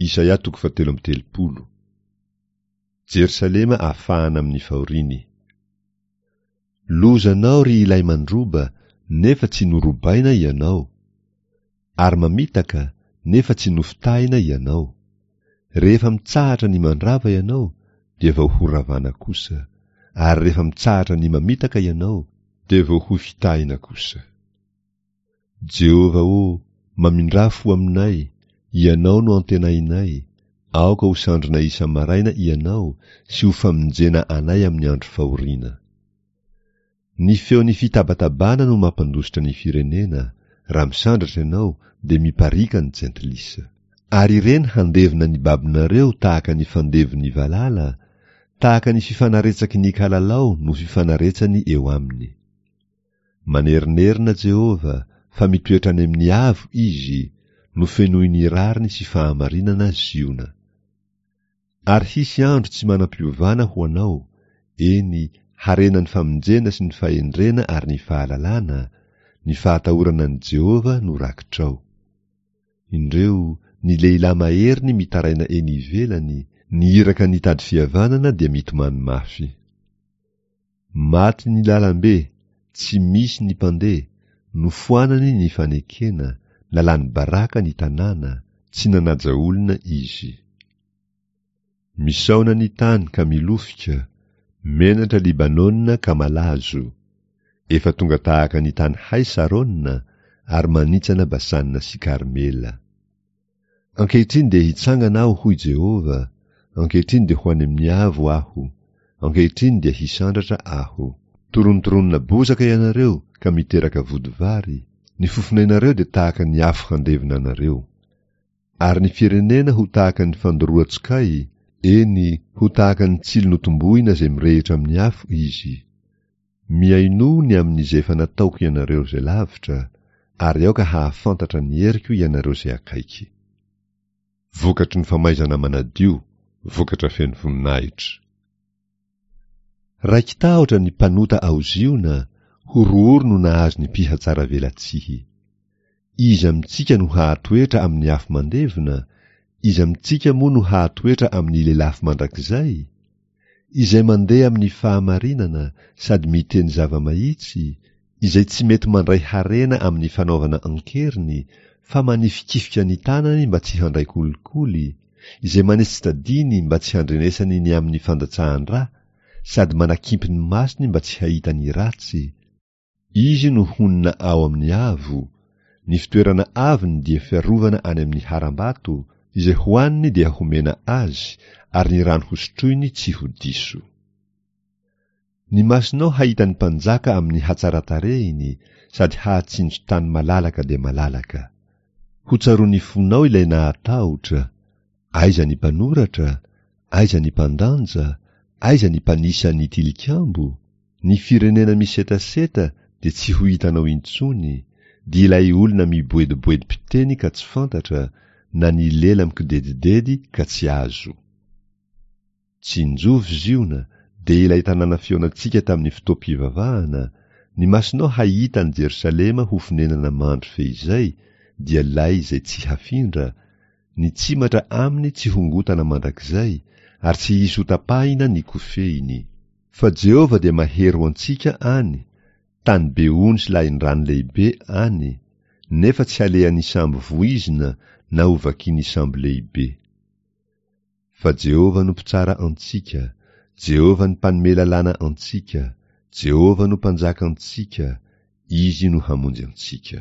Isaia toko fahatelo amby telopolo. Jerosalema afahana amin'ny fahoriany. Lozanao ry ilay mandroba nefa tsy norobaina ianao, ary mamitaka nefa tsy nofitahina ianao. Rehefa mitsahatra ny mandrava ianao dia vao horavana kosa, ary rehefa mitsahatra ny mamitaka ianao dia vao hofitahina kosa. Jehovah ô, mamindrà fo aminay, Ianao no antenainay, aoka ho sandrinay isa-maraina Ianao sy ho famonjena anay amin'ny andro fahoriana. Ny feon'ny fitabatabana no mampandositra ny firenena, raha misandratra ianao dia mipariaka ny jentilisa. Ary ireny handevona ny babonareo tahaka ny fandevon'ny valala, tahaka ny fifanaretsaky ny kalalao no fifanaretsany eo aminy. Manerinerina Jehovah, fa mitoetra any amin'ny avo Izy, nofenoiny rariny sy fahamarinana Ziona. Ary hisy andro tsy manam-piovana ho anao, eny, harena ny famonjena sy ny fahendrena ary ny fahalalana, ny fahatahorana an'i Jehovah no rakitrao. Indreo, ny lehilahy maheriny mitaraina eny ivelany, ny iraka nitady fihavanana dia mitomany mafy. Maty ny lalambe, tsy misy ny mpandeha, nofoanany ny fanekena, nalany baraka ny tanàna, tsy nanaja olona izy. Misaona ny tany ka milofika, menatra Libanona ka malazo. Efa tonga tahaka ny tany hay Sarona, ary manitsana Basana sy Karmela. Ankehitriny dia hitsangana aho, hoy Jehovah, ankehitriny dia ho any amin'ny avo aho, ankehitriny dia hisandratra aho. Torontoronina bozaka ianareo ka miteraka vodivary, ny fofonainareo dia tahaka ny afo handevona anareo. Ary ny firenena ho tahaka ny fandoroan-tsokay, eny, ho tahaka ny tsilo notombohina izay mirehitra amin'ny afo izy. Mihainoa ny amin'izay efa nataoko ianareo izay lavitra, ary aoka hahafantatra ny heriko ianareo izay akaiky. Vokatry ny famaizana manadio, vokatra feno voninahitra. Raiki-tahotra ny mpanota ao Ziona, horohoro no nahazo ny mpihatsaravelatsihy. Iza amintsika no hahatoetra amin'ny afo mandevona? Iza amintsika moa no hahatoetra amin'ny lelafo mandrakizay? Izay mandeha amin'ny fahamarinana sady miteny zava-mahitsy, izay tsy mety mandray harena amin'ny fanaovana an-keriny fa manifikifika ny tanany mba tsy handray kolikoly, izay manetsi-tadiny mba tsy handrenesany ny amin'ny fandatsahan-dra sady manakimpy ny masony mba tsy hahita ny ratsy, Izy no honina ao amin'ny avo, ny fitoerana avony dia fiarovana any amin'ny harambato, izay hohaniny dia homena azy, ary ny rano hosotroiny tsy ho diso. Ny masonao hahita ny mpanjaka amin'ny hatsaran-tarehiny sady hahatsinjo tany malalaka dia malalaka. Hotsaroan'ny fonao ilay nahatahotra, aiza ny mpanoratra, aiza ny mpandanja, aiza ny mpanisa ny tilikambo? Ny firenena misetaseta dia tsy ho hitanao intsony, dia ilay olona miboediboedim-piteny ka tsy fantatra, na ny lela mikidedidedy ka tsy azo. Tsinjovy Ziona, dia ilay tanàna fihaonantsika tamin'ny fotoam-pivavahana, ny masonao hahita an'i Jerosalema ho fonenana mandry feizay, dia lay izay tsy hafindra, ny tsimatra aminy tsy hongotana mandrakizay, ary tsy hisy hotapahina ny kofehiny. Fa Jehovah dia mahery ho antsika any, tany be ony sy lahin-drano lehibe any, nefa tsy halehan'ny sambo voizina na hovakian'ny sambo lehibe. Fa Jehovah no mpitsara antsika, Jehovah ny mpanome lalàna antsika, Jehovah no mpanjaka antsika, Izy no hamonjy antsika.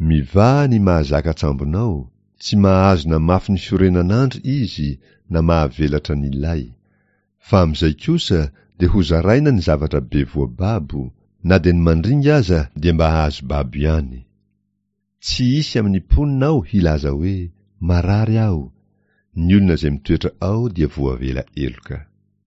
Mivaha ny mahazaka an-tsambonao, tsy mahazo na mafy ny fiorenan'andry izy na mahavelatra ny lay. Fa amin'izay kosa dia hozaraina ny zavatra be voababo, na dia ny mandringa aza dia mba hahazo babo ihany. Tsy hisy amin'ny mponina ao hilaza hoe, Marary aho. Ny olona izay mitoetra ao dia voavela heloka.